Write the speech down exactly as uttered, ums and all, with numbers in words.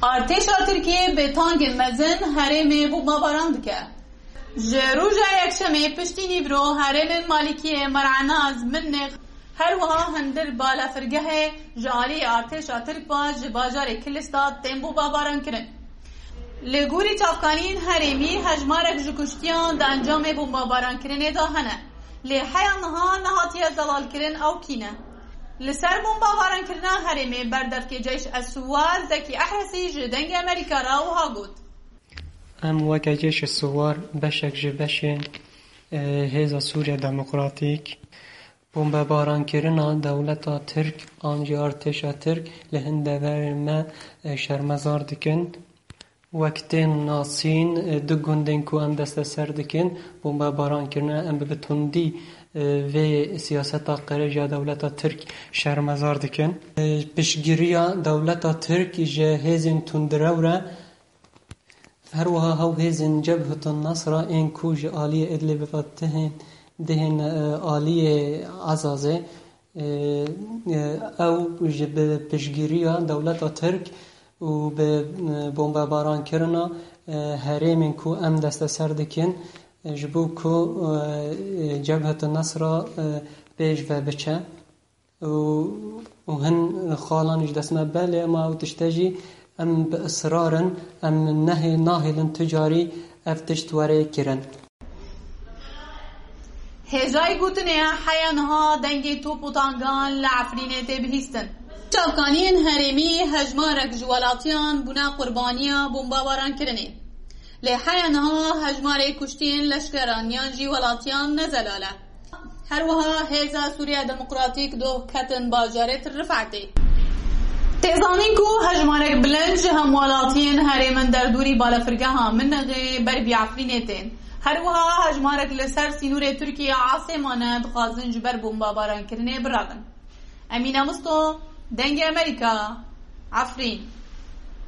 Artêşa Tirkiyê bi tankên mezin herêmê bombebaran dike. Ji roja Yekşemê piştî nîvro herêmên Malikiyê, Mer'enaz, Minix, her wiha hundir balafirgehê ji aliyê artêşa Tirk ve ji bajarê Kilista tên bombebaran kirin. Li gorî çavkaniyên herêmî, hejmarek ji kuştiyan di encamê bombebarankirînê de hene. Lê heya niha nehatiye zelalkirin ew kî ne. Li ser bombebaran kirina herêmê berdevkê Ceyş Es-Suwar Zekî Ehresî ji Dengê Amerîka re wiha got. Em weke Ceyş Es-Suwar beşek ji beşên, e, Hêza Sûriya Demokratîk, bombebaran kirina dewleta Tirk an jî artêşa Tirk li hin deverên me, e, şermezar dikin. Wek tên nasîn, e, du gundên ku em desteser dikin, bombebaran kirine, em bi tundî, e, vê siyaseta qirêj ya dewleta Tirk şermezar dikin. E, piştgiriya dewleta Tirk ji hêzên tundrew re, her wiha hew hêzên Cebhetun Nasra ên ku ji aliyê Idlibê ve tihên, dihên, e, aliyê Ezazê, e, e, ew ji bi piştgiriya dewleta Tirk û bi, e, bombebarankirina, e, herêmên ku em desteser dikin, e, ji bo ku, e, e, Cebhet Nasra, e, pêş ve biçe. Û, û hin xalan ji dest me, belê, ema ew tişte jî em bi israr in, em nehê-, nahêlin tu carî ev tişt were kirin. Hêjayî gotinê ye, heya niha dengê top û tangan li Efrînê tê bihîstin. Çavkaniyên herêmî hejmarek ji welatiyan bûne qurbaniya bombebarankirinê. Lê heya niha hejmarê kuştiyên leşkeran yan jî welatiyan ne zelal e. Her wiha Hêza Sûriya Demokratîk doh ketin bajarê Rifetê. Tê zanîn ku hejmarek bilind ji hemwelatiyên herêmin derdorî balafirgeha Minixê ber vî Efrînê tên. Her wiha hejmarek li ser sînorê Tirkiye asê mane, dixwazin ji ber bombebarankirinê birevin. Emîne Misto, Dengê Amerîka, Efrîn.